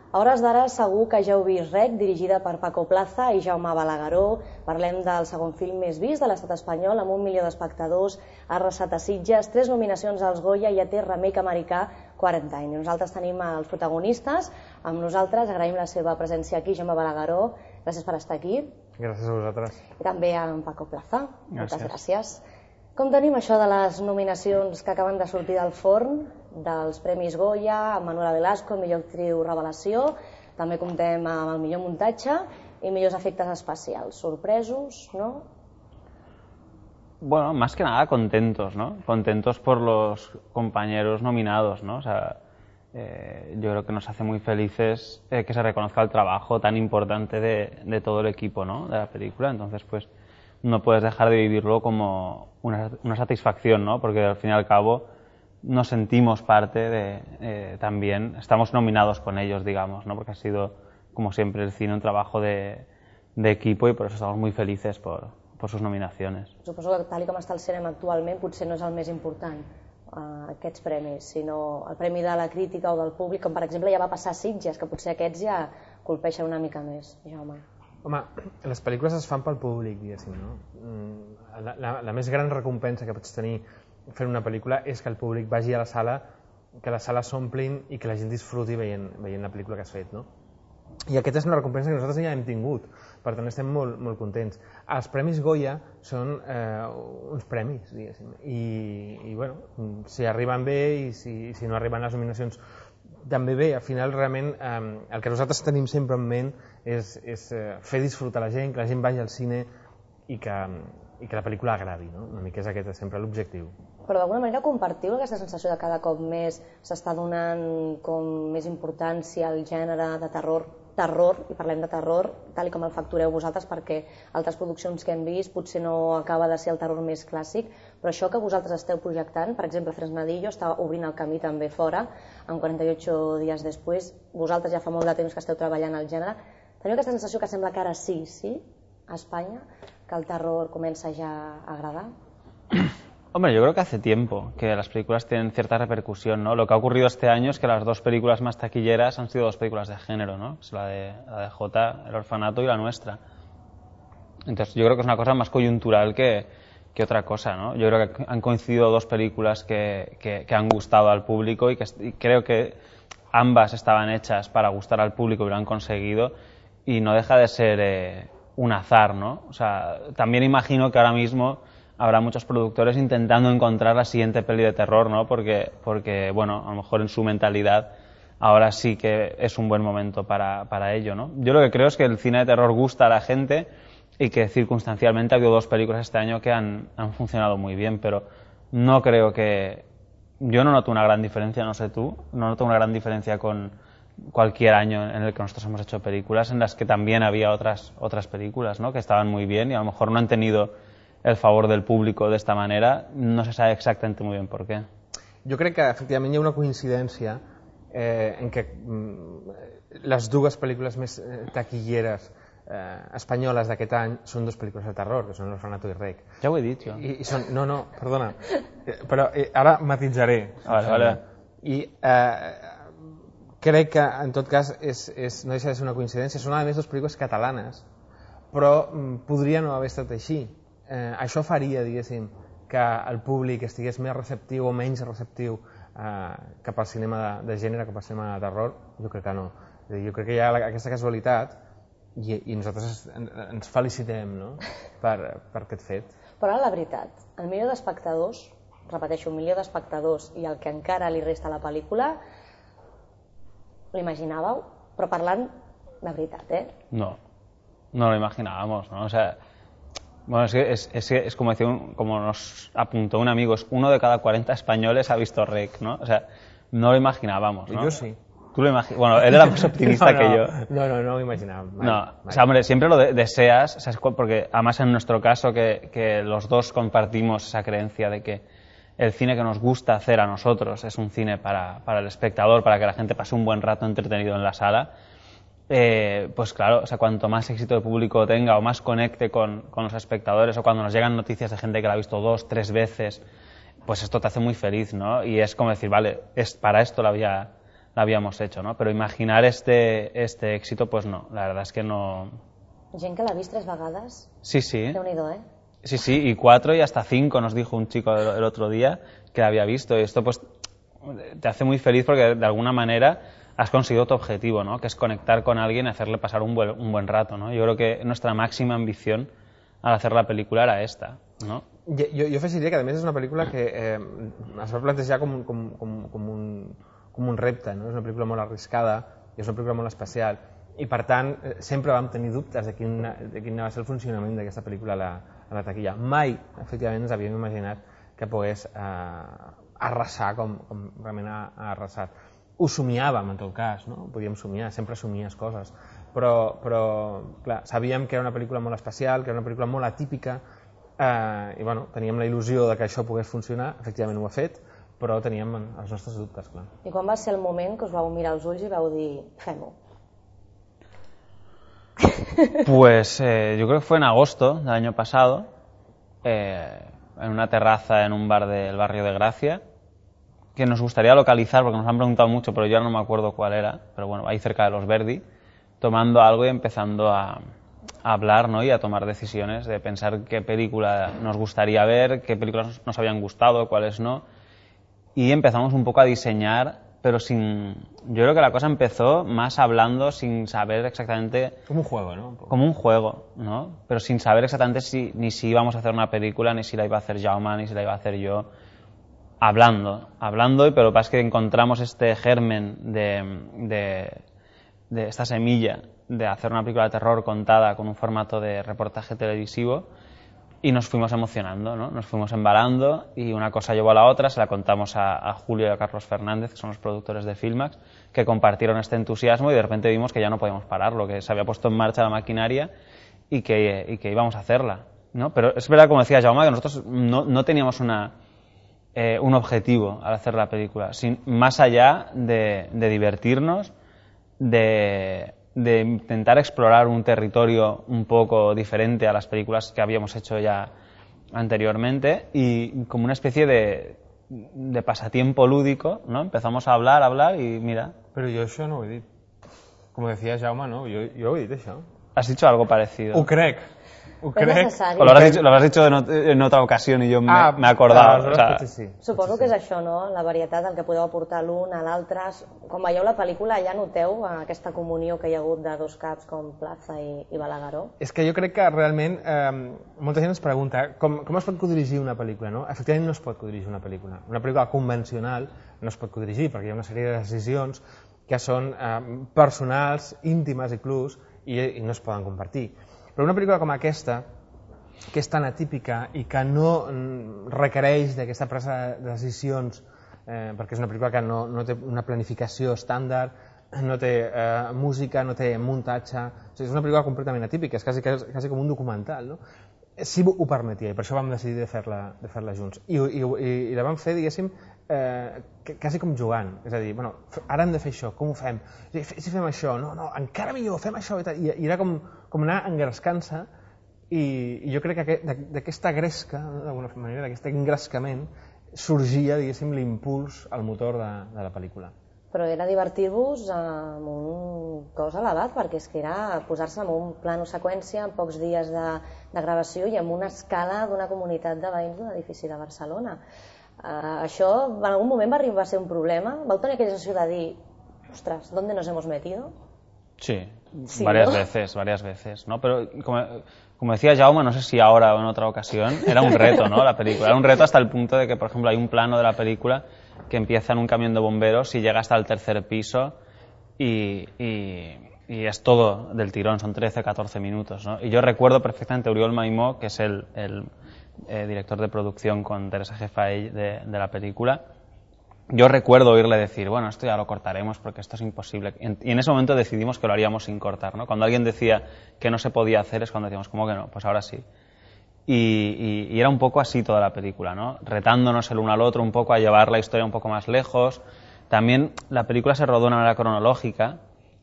A hores d'ara segur que ja heu vist Rec, dirigida per Paco Plaza i Jaume Balagueró. Parlem del segon film més vist de l'estat espanyol, amb 1 milió d'espectadors, ha arrasat a Sitges, 3 nominacions als Goya i ja té remake americà Quarantine. I nosaltres tenim els protagonistes, amb nosaltres agraïm la seva presència aquí, Jaume Balagueró, gràcies per estar aquí. Gràcies a vosaltres. I també a en Paco Plaza, moltes gràcies. Com tenim això de les nominacions que acaben de sortir del forn, dels Premis Goya, amb Manuela Velasco, millor actriu revelació, també comptem amb el millor muntatge y millors efectes especials. ¿Sorpresos, no? Bueno, más que nada contentos, ¿no? Contentos por los compañeros nominados, ¿no? O sea, yo creo que nos hace muy felices que se reconozca el trabajo tan importante de todo el equipo, ¿no? De la película. Entonces, pues, no puedes dejar de vivirlo como una satisfacción, ¿no? Porque al fin y al cabo nos sentimos parte de también, estamos nominados con ellos, digamos, ¿no? Porque ha sido, como siempre, el cine un trabajo de equipo y por eso estamos muy felices por sus nominaciones. Suposo que tal com està el cinema actualment potser no és el més important, aquests premis, sinó el premi de la crítica o del públic, com per exemple ja va passar a Sitges, que potser aquests ja colpeixen una mica més, Jaume. Home, les pel·lícules es fan pel públic, diguéssim, no? La més gran recompensa que pots tenir fent una pel·lícula és que el públic vagi a la sala, que les sales s'omplin i que la gent disfruti veient la pel·lícula que has fet, no? I aquesta és una recompensa que nosaltres ja hem tingut, per tant estem molt contents. Els Premis Goya són uns premis, diguéssim, i bueno, si arriben bé i si no arriben les nominacions també bé. Al final, realment, el que nosaltres tenim sempre en ment és fer disfrutar la gent, que la gent vagi al cine i que la pel·lícula agradi, no? Una mica és aquest sempre l'objectiu. Però d'alguna manera compartiu aquesta sensació de cada cop més s'està donant com més importància al gènere de terror, i parlem de terror, tal com el factureu vosaltres, perquè altres produccions que hem vist potser no acaba de ser el terror més clàssic, però això que vosaltres esteu projectant, per exemple, Fresnadillo està obrint el camí també fora, en 48 dies després, vosaltres ja fa molt de temps que esteu treballant al gènere, teniu aquesta sensació que sembla que ara sí, a Espanya, que el terror comença ja a agradar? Hombre, yo creo que hace tiempo que las películas tienen cierta repercusión, ¿no? Lo que ha ocurrido este año es que las dos películas más taquilleras han sido dos películas de género, ¿no? Es la de Jota, El orfanato, y la nuestra. Entonces yo creo que es una cosa más coyuntural que otra cosa, ¿no? Yo creo que han coincidido dos películas que han gustado al público y creo que ambas estaban hechas para gustar al público y lo han conseguido, y no deja de ser un azar, ¿no? O sea, también imagino que ahora mismo habrá muchos productores intentando encontrar la siguiente peli de terror, ¿no? Porque bueno, a lo mejor en su mentalidad ahora sí que es un buen momento para ello, ¿no? Yo lo que creo es que el cine de terror gusta a la gente y que circunstancialmente ha habido dos películas este año que han funcionado muy bien, pero no creo que... Yo no noto una gran diferencia, no sé tú, no noto una gran diferencia con cualquier año en el que nosotros hemos hecho películas en las que también había otras películas, ¿no? Que estaban muy bien y a lo mejor no han tenido el favor del público de esta manera, no se sabe exactamente muy bien por qué. Jo crec que efectivament hi ha una coincidència en què les dues pel·lícules més taquilleres espanyoles d'aquest any són dues pel·lícules de terror, que són L'orfanato i Rec. Ja ho he dit, jo. No, perdona, però ara matitzaré. Vale. I crec que, en tot cas, no deixa de ser una coincidència, són a més dues pel·lícules catalanes, però podria no haver estat així. Això faria, diguéssim, que el públic estigués més receptiu o menys receptiu cap al cinema de gènere, cap al cinema de terror. Jo crec que no. Jo crec que hi ha aquesta casualitat i nosaltres ens felicitem, no? per aquest fet. Però ara la veritat, el milió d'espectadors, repeteixo, 1 milió d'espectadors i el que encara li resta a la pel·lícula, l'imaginàveu? Però parlant de veritat, No lo imaginábamos, ¿no? O sea, bueno, es como nos apuntó un amigo, es 1 de cada 40 españoles ha visto Rec, ¿no? O sea, no lo imaginábamos, ¿no? Yo sí. ¿Tú lo imaginas? Bueno, él era más optimista que yo. No lo imaginaba. No, o sea, hombre, siempre lo deseas, o sea, porque además en nuestro caso que los dos compartimos esa creencia de que el cine que nos gusta hacer a nosotros es un cine para el espectador, para que la gente pase un buen rato entretenido en la sala. Pues claro, o sea, cuanto más éxito de público tenga o más conecte con los espectadores, o cuando nos llegan noticias de gente que la ha visto 2, 3 veces, pues esto te hace muy feliz, ¿no? Y es como decir, vale, para esto la voy la habíamos hecho, ¿no? Pero imaginar este éxito, pues no, la verdad es que no. Gent que l'ha vist 3 vegades. Sí, sí. Déu-n'hi-do, ¿eh? Sí, sí, y 4 y hasta 5 nos dijo un chico el otro día que la había visto. Y esto pues te hace muy feliz porque de alguna manera has conseguido tu objetivo, ¿no? Que es conectar con alguien y hacerle pasar un buen rato, ¿no? Yo creo que nuestra máxima ambición al hacer la película era esta, ¿no? Jo afegiria que a més és una pel·lícula que es va plantejar com un repte, no? És una pel·lícula molt arriscada i és una pel·lícula molt especial i per tant sempre vam tenir dubtes de quin va ser el funcionament d'aquesta pel·lícula a la taquilla. Mai, efectivament, ens havíem imaginat que pogués arrasar com realment ha arrasat. Ho somiàvem, en tot cas, no? Podíem somiar, sempre somies coses, però clar, sabíem que era una pel·lícula molt especial, que era una pel·lícula molt atípica i bueno, teníem la il·lusió de que això pogués funcionar, efectivament ho ha fet, però teníem els nostres dubtes, clar. I quan va ser el moment que us vau mirar als ulls i vau dir, fem-ho? Pues yo creo que fue en agosto del año pasado, en una terraza en un bar del barrio de Gracia, que nos gustaría localizar porque nos han preguntado mucho, pero yo ahora no me acuerdo cuál era, pero bueno, ahí cerca de Los Verdi, tomando algo y empezando a hablar, ¿no? Y a tomar decisiones de pensar qué película nos gustaría ver, qué películas nos habían gustado, cuáles no, y empezamos un poco a diseñar, pero sin... Yo creo que la cosa empezó más hablando sin saber exactamente... Como un juego, ¿no? Como un juego, ¿no? Pero sin saber exactamente ni si íbamos a hacer una película, ni si la iba a hacer Jaume, ni si la iba a hacer yo. Hablando, pero lo que pasa es que encontramos este germen de esta semilla de hacer una película de terror contada con un formato de reportaje televisivo y nos fuimos emocionando, ¿no? Nos fuimos embalando y una cosa llevó a la otra, se la contamos a Julio y a Carlos Fernández, que son los productores de Filmax, que compartieron este entusiasmo y de repente vimos que ya no podíamos pararlo, que se había puesto en marcha la maquinaria y que íbamos a hacerla, ¿no? Pero es verdad, como decía Jaume, que nosotros no teníamos un objetivo al hacer la película, más allá de divertirnos, de intentar explorar un territorio un poco diferente a las películas que habíamos hecho ya anteriormente y como una especie de pasatiempo lúdico, ¿no? Empezamos a hablar y mira... Però jo això no ho he dit. Com decía Jaume, no? Jo ho he dit, això. Has dicho algo parecido. Ho crec. Ho necessari. O lo has dicho en otra ocasión y yo me he acordado. O sea, sí. Suposo que és això, no? La varietat, el que podeu aportar l'un a l'altre. Quan veieu la pel·lícula ja noteu aquesta comunió que hi ha hagut de dos caps com Plaza i Balagueró? És que jo crec que realment molta gent ens pregunta com es pot codirigir una pel·lícula, no? Efectivament no es pot codirigir una pel·lícula. Una pel·lícula convencional no es pot codirigir perquè hi ha una sèrie de decisions que són personals, íntimes inclús, i no es poden compartir. Però una pel·lícula com aquesta, que és tan atípica i que no requereix d'aquesta presa de decisions, perquè és una pel·lícula que no té una planificació estàndard, no té música, no té muntatge, o sigui, és una pel·lícula completament atípica, és quasi com un documental, no? Sí ho permetia i per això vam decidir de fer-la junts. I la vam fer, diguéssim, quasi com jugant, és a dir, bueno, ara hem de fer això, com ho fem? Si fem això, no, encara millor, fem això, i era com anar engrescant-se, i jo crec que d'aquesta gresca, d'alguna manera, d'aquest engrescament, sorgia, diguéssim, l'impuls al motor de la pel·lícula. Però era divertir-vos amb un cos elevat, perquè és que era posar-se en un plano seqüència, en pocs dies de gravació i amb una escala d'una comunitat de veïns d'un edifici de Barcelona. Això en algun moment va arribar a ser un problema? Vau tenir aquella sensació de dir, ostres, ¿dónde nos hemos metido? Sí, varias veces, ¿no? Pero como decía Jaume, no sé si ahora o en otra ocasión, era un reto, ¿no? La película. Era un reto hasta el punto de que, por ejemplo, hay un plano de la película que empieza en un camión de bomberos y llega hasta el tercer piso y es todo del tirón, son 13-14 minutos, ¿no? Y yo recuerdo perfectamente a Oriol Maimó, que es el director de producción con Teresa Jefaell de la película. Yo recuerdo oírle decir, bueno, esto ya lo cortaremos porque esto es imposible. Y en ese momento decidimos que lo haríamos sin cortar, ¿no? Cuando alguien decía que no se podía hacer es cuando decíamos, ¿cómo que no? Pues ahora sí. Y era un poco así toda la película, ¿no? Retándonos el uno al otro un poco a llevar la historia un poco más lejos. También la película se rodó de una manera cronológica,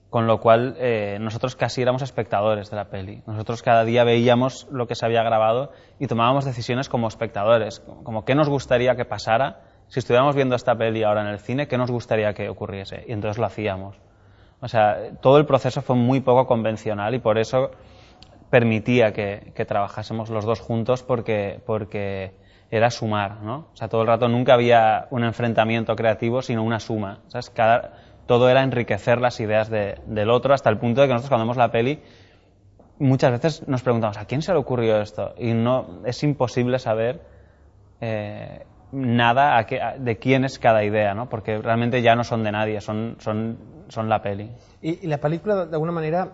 con lo cual nosotros casi éramos espectadores de la peli. Nosotros cada día veíamos lo que se había grabado y tomábamos decisiones como espectadores, como qué nos gustaría que pasara si estuviéramos viendo esta peli ahora en el cine, ¿qué nos gustaría que ocurriese? Y entonces lo hacíamos. O sea, todo el proceso fue muy poco convencional y por eso permitía que trabajásemos los dos juntos porque era sumar, ¿no? O sea, todo el rato nunca había un enfrentamiento creativo, sino una suma. ¿Sabes? Todo era enriquecer las ideas del otro, hasta el punto de que nosotros cuando vemos la peli muchas veces nos preguntamos ¿a quién se le ocurrió esto? Y no es imposible saber nada de quién es cada idea, ¿no? Porque realmente ya no son de nadie, son la peli. I la pel·lícula, d'alguna manera,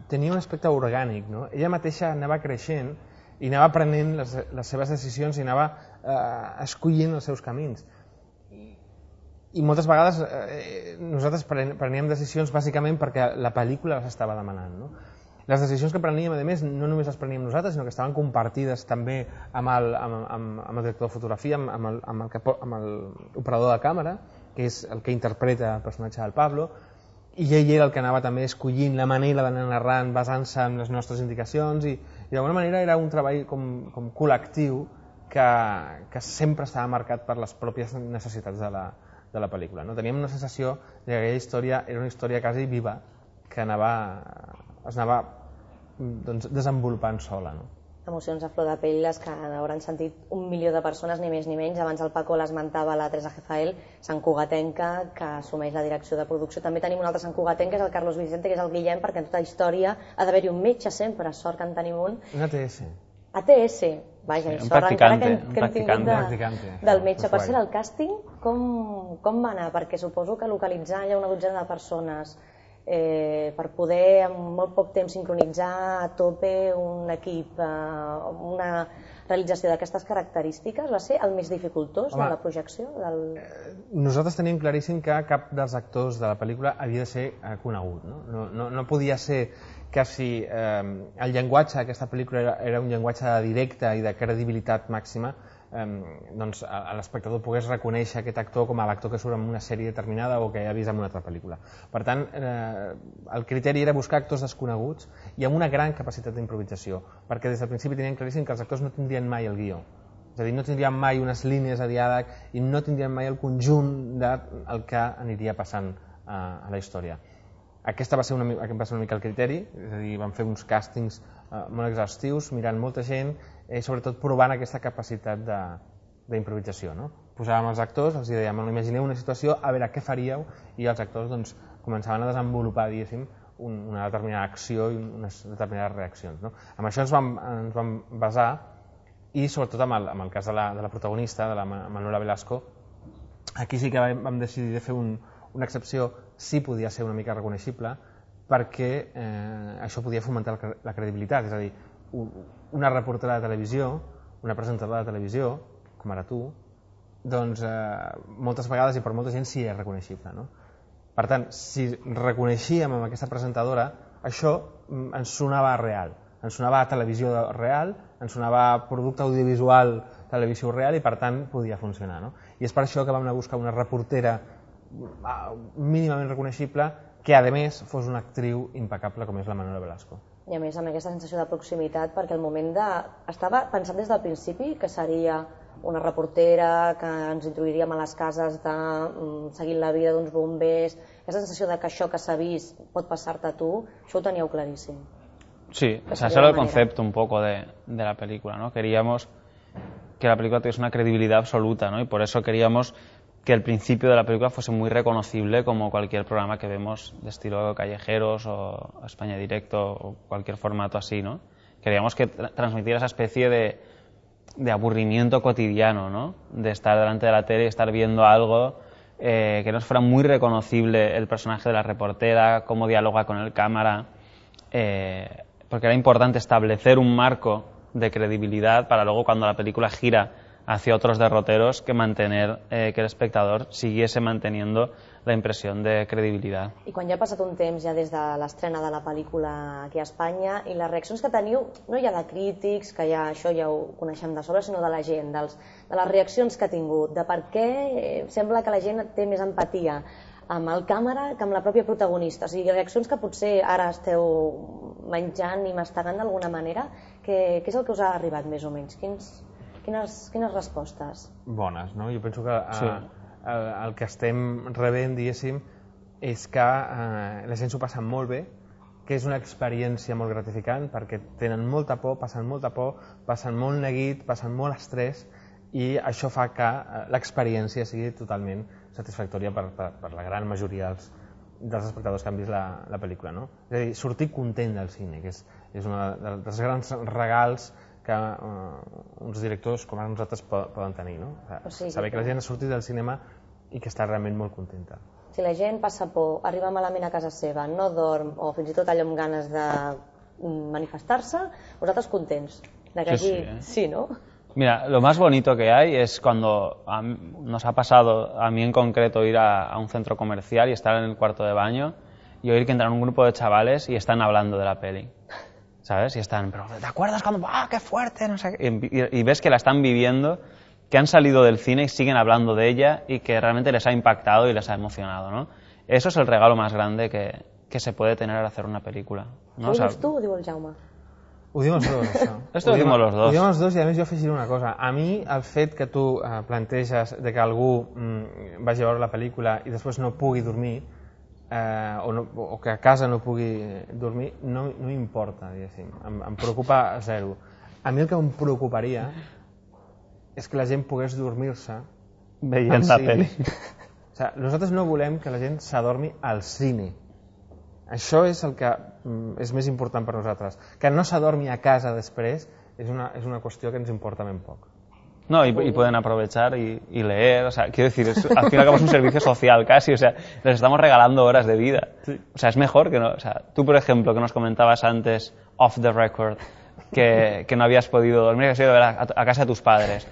tenia un aspecte orgànic, no? Ella mateixa anava creixent i anava prenent les seves decisions i anava escollint els seus camins. I moltes vegades nosaltres preníem decisions bàsicament perquè la pel·lícula les estava demanant, no? Les decisions que preníem, a més, no només les preníem nosaltres, sinó que estaven compartides també amb el director de fotografia, amb l'operador de càmera, que és el que interpreta el personatge del Pablo, i ell era el que anava també escollint la manera d'anar narrant basant-se en les nostres indicacions i d'alguna manera era un treball com col·lectiu que sempre estava marcat per les pròpies necessitats de la pel·lícula. Teníem una sensació que aquella història era una història quasi viva que es anava desenvolupant sola. Emocions a flor de pell, les que hauran sentit 1 milió de persones, ni més ni menys. Abans el Paco l'esmentava, la Teresa Jezael, santcugatenca, que assumeix la direcció de producció. També tenim un altre santcugatenc, que és el Carlos Vicente, que és el Guillem, perquè en tota història ha d'haver-hi un metge sempre, sort que en tenim un. Un ATS. ATS, vaja, sí, sort encara que hem tingut del metge. Per ser el càsting, com va anar? Perquè suposo que localitzar ja una dotzena de persones per poder en molt poc temps sincronitzar a tope un equip, una realització d'aquestes característiques, va ser el més dificultós de la projecció? Nosaltres teníem claríssim que cap dels actors de la pel·lícula havia de ser conegut. No podia ser que si el llenguatge d'aquesta pel·lícula era un llenguatge directe i de credibilitat màxima, doncs l'espectador pogués reconèixer aquest actor com a l'actor que surt en una sèrie determinada o que ha vist en una altra pel·lícula. Per tant, el criteri era buscar actors desconeguts i amb una gran capacitat d'improvisació, perquè des del principi tenien claríssim que els actors no tindrien mai el guió. És a dir, no tindrien mai unes línies de diàleg i no tindrien mai el conjunt del que aniria passant a la història. Aquest va ser una mica el criteri, és a dir, vam fer uns càstings molt exhaustius, mirant molta gent i sobretot provant aquesta capacitat d'improvisació. Posàvem els actors, els dèiem, imagineu una situació, a veure què faríeu, i els actors començaven a desenvolupar, diguéssim, una determinada acció i unes determinades reaccions. Amb això ens vam basar, i sobretot amb el cas de la protagonista, de la Manuela Velasco, aquí sí que vam decidir de fer una excepció, sí podia ser una mica reconeixible, perquè això podia fomentar la credibilitat, és a dir, una reportera de televisió, una presentadora de televisió, com ara tu, doncs moltes vegades i per molta gent sí és reconeixible. Per tant, si reconeixíem amb aquesta presentadora, això ens sonava real, ens sonava a televisió real, ens sonava a producte audiovisual televisió real i per tant podia funcionar. I és per això que vam anar a buscar una reportera mínimament reconeixible que a més fos una actriu impecable com és la Manuela Velasco. I a més amb aquesta sensació de proximitat, perquè el moment estava pensat des del principi que seria una reportera que ens introduiríem a les cases seguint la vida d'uns bombers, aquesta sensació de que això que s'ha vist pot passar-te a tu, això ho teníeu claríssim. Sí, ese era el concepto un poco de la película, ¿no? Queríamos que la película tuviese una credibilidad absoluta, ¿no? Y por eso queríamos que el principio de la película fuese muy reconocible como cualquier programa que vemos de estilo Callejeros o España Directo o cualquier formato así, ¿no? Queríamos que transmitiera esa especie de aburrimiento cotidiano, ¿no? De estar delante de la tele y estar viendo algo que nos fuera muy reconocible el personaje de la reportera, cómo dialoga con el cámara, porque era importante establecer un marco de credibilidad para luego cuando la película gira hacia otros derroteros que mantener que el espectador siguiese manteniendo la impressió de credibilitat. I quan ja ha passat un temps ja des de l'estrena de la pel·lícula aquí a Espanya i les reaccions que teniu, no ja de crítics, que ja això ja ho coneixem de sobre, sinó de la gent, de les reaccions que ha tingut, de per què sembla que la gent té més empatia amb el càmera que amb la pròpia protagonista, o sigui, reaccions que potser ara esteu menjant i mastegant d'alguna manera, què és el que us ha arribat més o menys? Quines respostes? Bones, no? Jo penso que el que estem rebent, diguéssim, és que la gent s'ho passa molt bé, que és una experiència molt gratificant perquè tenen molta por, passen molt neguit, passen molt estrès i això fa que l'experiència sigui totalment satisfactòria per la gran majoria dels espectadors que han vist la pel·lícula, no? És a dir, sortir content del cine, que és un dels grans regals que uns directors com ara nosaltres poden tenir, no? Saber que la gent ha sortit del cinema i que està realment molt contenta. Si la gent passa por, arriba malament a casa seva, no dorm o fins i tot allò amb ganes de manifestar-se, vosaltres contents de que allí sí, ¿no? Mira, lo más bonito que hay es cuando nos ha pasado, a mí en concreto, ir a un centro comercial y estar en el cuarto de baño y oír que entran un grupo de chavales y están hablando de la peli, ¿sabes? Y están, pero ¿te acuerdas cuando, qué fuerte? No sé, y ves que la están viviendo, que han salido del cine y siguen hablando de ella y que realmente les ha impactado y les ha emocionado, ¿no? Eso es el regalo más grande que se puede tener al hacer una película, ¿no? Ho dius tu o ho diu el Jaume? Ho diuen els dos, això. Esto ho diuen els dos. Ho diuen els dos i a més jo afegiré una cosa. A mi el fet que tu planteges de que algú vagi a veure la pel·lícula i després no pugui dormir o que a casa no pugui dormir no m'importa, diguéssim. Em preocupa zero. A mi el que em preocuparia és que la gent pogués dormir-se veient la pel·li. O sigui, nosaltres no volem que la gent s'adormi al cine. Això és el que és més important per nosaltres. Que no s'adormi a casa després és una qüestió que ens importa ben poc. No, y pueden aprovechar y leer, o sea, quiero decir, al fin y al cabo es un servicio social casi, o sea, les estamos regalando horas de vida. Sí. O sea, es mejor que no, o sea, tú por ejemplo, que nos comentabas antes, off the record, que no habías podido dormir, que has ido a casa de tus padres.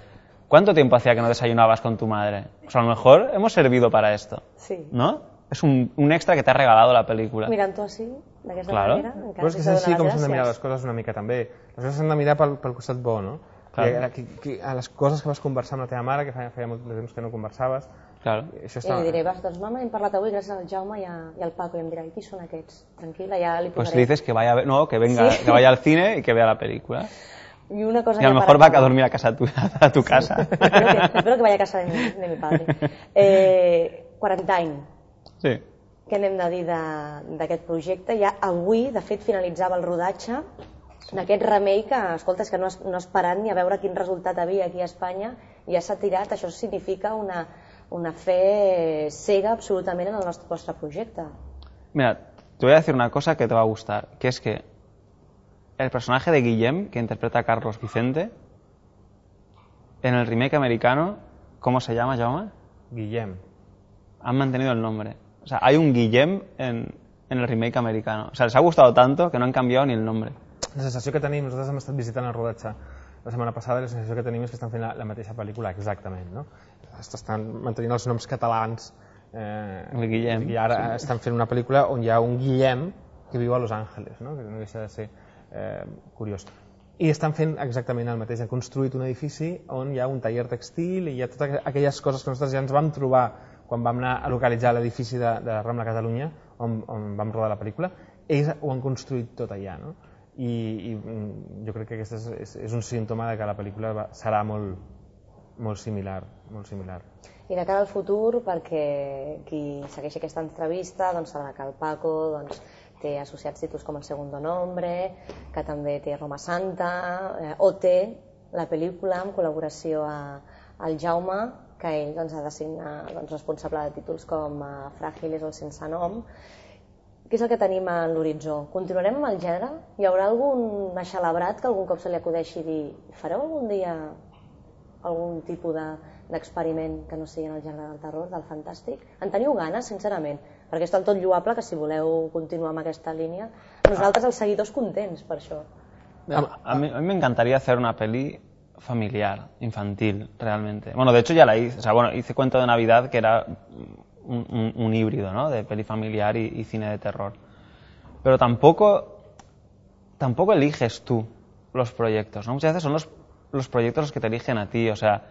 ¿Cuánto tiempo hacía que no desayunabas con tu madre? Pues a lo mejor hemos servido para esto, sí. ¿no? Es un extra que te ha regalado la pel·lícula. Mirant-ho així, d'aquesta claro. manera, encara però és que és així com s'han de mirar les coses una mica també. Les coses s'han de mirar pel costat bo, no? Claro. A les coses que vas conversar amb la teva mare, que feia molt de temps que no conversaves. Claro. I li diré, doncs mama, hem parlat avui gràcies al Jaume i al Paco, i em dirà, i qui són aquests? Tranquil·la, ja li posaré. Pues le dices que vaya al cine y que vea la película. Y una cosa y a lo mejor va a dormir a tu casa. Espero que vaya a casa de mi padre. 40 anys. Sí. Què n'hem de dir d'aquest projecte? Ja avui, de fet, finalitzava el rodatge d'aquest remake que, escolta, és que no esperant ni a veure quin resultat havia aquí a Espanya i ja s'ha tirat. Això significa una fe cega absolutament en el vostre projecte. Mira, te voy a decir una cosa que te va a gustar, que es que el personaje de Guillem, que interpreta a Carlos Vicente, en el remake americano, ¿cómo se llama, Jaume? Guillem. Han mantenido el nombre. O sea, hay un Guillem en el remake americano. O sea, les ha gustado tanto que no han cambiado ni el nombre. La sensació que tenim, nosaltres hem estat visitant el rodatge la setmana passada, la sensació que tenim és que estan fent la mateixa pel·lícula, exactament, no? Estan mantenint els noms catalans el Guillem, i ara estan fent una pel·lícula on hi ha un Guillem que viu a Los Angeles, no? Que no deixa de ser curiós. I estan fent exactament el mateix. Han construït un edifici on hi ha un taller textil i hi ha totes aquelles coses que nosaltres ja ens vam trobar quan vam anar a localitzar l'edifici de Rambla Catalunya, on vam rodar la pel·lícula. Ells ho han construït tot allà, no? I jo crec que aquest és un símptoma de que la pel·lícula serà molt similar. I de cara al futur, perquè qui segueixi aquesta entrevista sabrà que el Paco té associats títols com El Segundo Nombre, que també té Roma Santa, OT, la pel·lícula amb col·laboració al Jaume, que ell ha de signar responsable de títols com Fràgiles o El Sense Nom. Què és el que tenim a l'horitzó? Continuarem amb el gènere? Hi haurà algun aixelebrat que algun cop se li acudeixi dir fareu algun dia algun tipus d'experiment que no sigui en el gènere del terror, del fantàstic? En teniu ganes, sincerament? Perquè és del tot lloable que si voleu continuar amb aquesta línia, nosaltres els seguidors contents per això. A mí me encantaría hacer una peli familiar, infantil, realmente. Bueno, de hecho ya la hice. O sea, bueno, hice Cuento de Navidad, que era un híbrido, ¿no? De peli familiar y cine de terror. Pero tampoco eliges tú los proyectos, ¿no? Muchas veces son los proyectos los que te eligen a ti. O sea,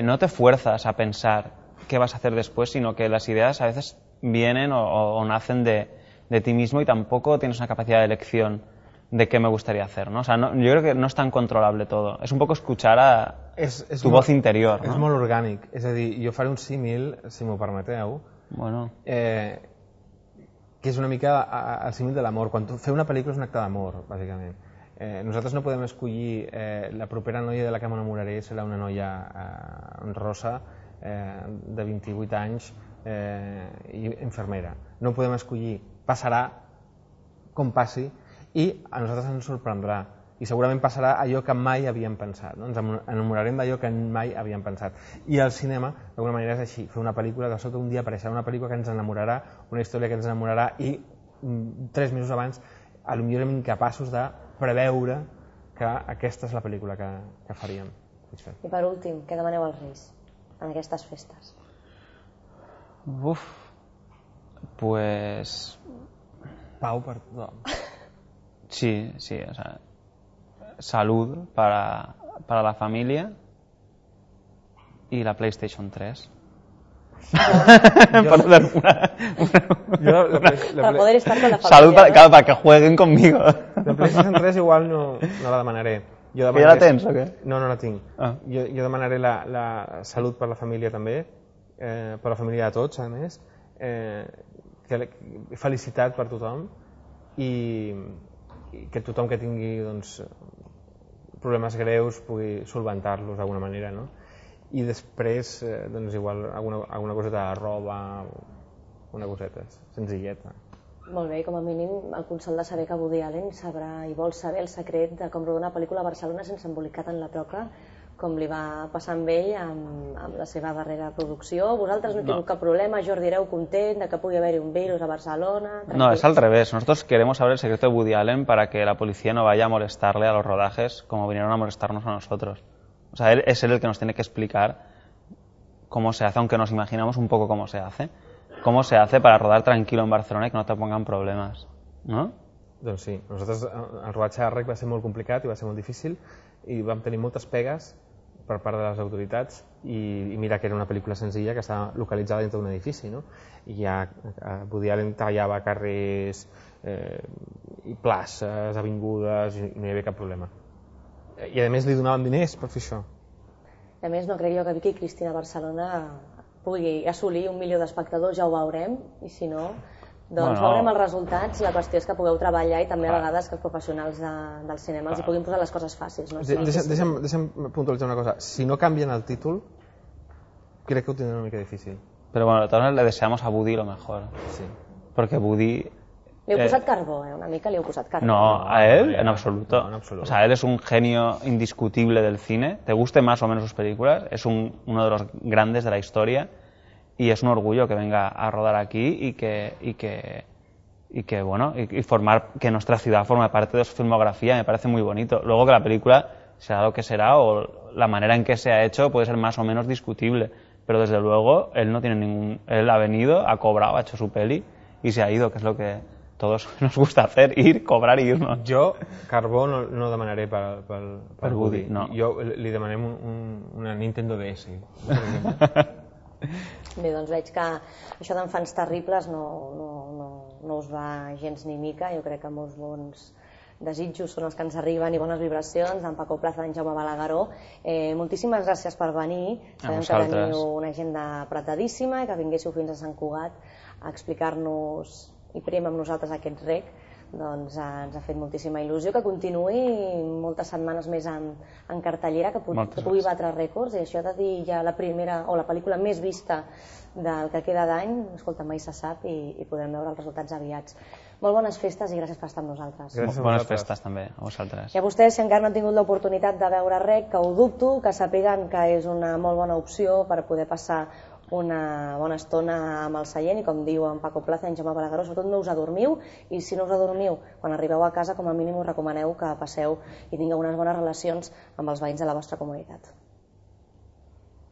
no te fuerzas a pensar qué vas a hacer después, sino que las ideas a veces vienen o nacen de ti mismo y tampoco tienes una capacidad de elección de qué me gustaría hacer, ¿no? O sea, yo creo que no es tan controlable todo. Es un poco escuchar a tu voz interior, no? És molt orgànic. És a dir, jo faré un símil, si m'ho permeteu, Bueno. que és una mica el símil de l'amor. Quan fer una pel·lícula és un acte d'amor, bàsicament. Nosaltres no podem escollir la propera noia de la que m'enamoraré serà una noia rosa de 28 anys i infermera. No podem escollir, passarà com passi i a nosaltres ens sorprendrà i segurament passarà allò que mai havíem pensat, no? Ens enamorarem d'allò que mai havíem pensat. I el cinema, d'alguna manera, és així, fer una pel·lícula, de sota un dia apareixerà una pel·lícula que ens enamorarà, una història que ens enamorarà i 3 mesos abans potser érem incapaços de preveure que aquesta és la pel·lícula que faríem. I per últim, què demaneu als Reis en aquestes festes? Pues... Pau per tothom. Sí, o sea, salud para la familia y la PlayStation 3. Para poder estar con la familia. Salud para que jueguen conmigo. La PlayStation 3 igual no la demanaré. Que ja la tens o què? No la tinc. Jo demanaré la salut per la família també, per la família de tots, a més, felicitat per tothom i que tothom que tingui problemes greus pugui solventar-los d'alguna manera, no? I després, igual, alguna coseta de roba, una coseta senzilleta. Molt bé, com a mínim el consol de saber que Woody Allen sabrà i vol saber el secret de com rodar una pel·lícula a Barcelona sense embolicat en la toca, com li va passar amb ell amb la seva darrera producció. Vosaltres no heu tingut cap problema, Jordi, éreu content de que pugui haver-hi un virus a Barcelona? No, es al revés. Nosotros queremos saber el secreto de Woody Allen para que la policía no vaya a molestarle a los rodajes como vinieron a molestarnos a nosotros. O sea, es él el que nos tiene que explicar cómo se hace, aunque nos imaginamos un poco cómo se hace. Cómo se hace para rodar tranquilo en Barcelona y que no te pongan problemes, no? Doncs sí, nosaltres el rodatge de REC va ser molt complicat i va ser molt difícil i vam tenir moltes pegues per part de les autoritats i mira que era una pel·lícula senzilla que estava localitzada dintre d'un edifici, no? I ja Woody Allen tallava carrers i places, avingudes i no hi havia cap problema. I a més li donaven diners per fer això. A més, no crec jo que Vicky Cristina Barcelona pugui assolir 1 milió d'espectadors, ja ho veurem, i si no, doncs veurem els resultats. La qüestió és que pugueu treballar i també a vegades que els professionals del cinema els hi puguin posar les coses fàcils. Deixa'm puntualitzar una cosa. Si no canvien el títol, crec que ho tindrà una mica difícil. Pero bueno, todos le deseamos a Woody lo mejor. Sí. Porque Woody... Li heu posat carbó, una mica li heu posat carbó. No, a él en absoluto. No, en absoluto. O sea, él es un genio indiscutible del cine. Te guste más o menos sus películas, es uno de los grandes de la historia y es un orgullo que venga a rodar aquí y que formar que nuestra ciudad forme parte de su filmografía me parece muy bonito. Luego que la película será lo que será o la manera en que se ha hecho puede ser más o menos discutible, pero desde luego él no tiene él ha venido, ha cobrado, ha hecho su peli y se ha ido, que es lo que todos nos gusta hacer, ir, cobrar i irnos. Jo, carbó, no demanaré per Woody. No. Jo li demanem una Nintendo DS. Bé, doncs veig que això d'Enfants Terribles no us va gens ni mica. Jo crec que molts bons desitjos són els que ens arriben i bones vibracions d'en Paco Plaza, d'en Jaume Balagueró. Moltíssimes gràcies per venir. Sabem que teniu una agenda apretadíssima i que vinguéssiu fins a Sant Cugat a explicar-nos i prim amb nosaltres aquest REC, doncs ens ha fet moltíssima il·lusió que continuï moltes setmanes més en cartellera, que pugui batre rècords, i això de dir ja la primera o la pel·lícula més vista del que queda d'any, escolta, mai se sap i podrem veure els resultats aviats. Molt bones festes i gràcies per estar amb nosaltres. Bones festes també a vosaltres. I a vostès, si encara no han tingut l'oportunitat de veure REC, que ho dubto, que sapiguen que és una molt bona opció per poder passar una bona estona amb el seient i, com diu en Paco Plaza i en Jaume Balagueró, sobretot no us adormiu, i si no us adormiu, quan arribeu a casa, com a mínim us recomaneu que passeu i tingueu unes bones relacions amb els veïns de la vostra comunitat.